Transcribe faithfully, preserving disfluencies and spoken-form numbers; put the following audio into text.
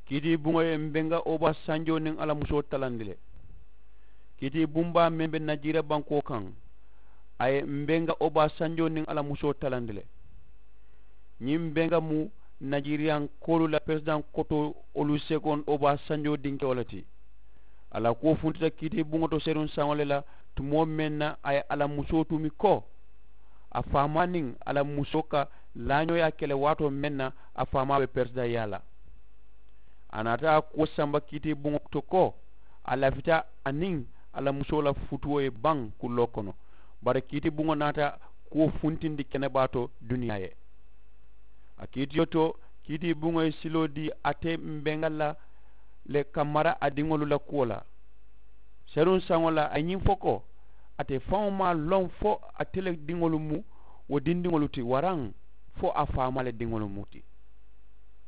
Kiitiibuŋo ye mbenga obaa sanjoo niŋ a la musoo talandi le. Kiitiibuŋ baa meŋ be najiira bankoo kaŋ, a ye mbenga obaa sanjoo niŋ a la musoo talandi le. Ñiŋ mbenga mu najiiriyankoolu la peresidaŋ kotoo olusegoŋ obaa sanjoo dinkewo le ti. A la kuwo funtita kiitiibuŋo to seruŋ saŋo le la, tumoo meŋ na a ye a la musoo tumi ko a faamaa niŋ a la musoo ka laañooyaa ke le waatoo meŋ na a faamaa be peresidaŋyaa la. A naata a kuwo samba kiitiibuŋo to ko a lafita a niŋ a la musoo la futuwo ye baŋ kulloo kono. Bari kiitiibuŋo naata kuwo funtindi kenebaa to duniyaa ye. A kiitiyo to kiitiibuŋo ye siloo dii ate mbenga la le ka mara a diŋolu la kuwo la. Seruŋ saŋo la a ye ñiŋ fo ko ate faŋo maŋ a loŋ fo ate le diŋolu mu wo dindiŋolu ti waraŋ fo a faamaa le diŋolu mu ti.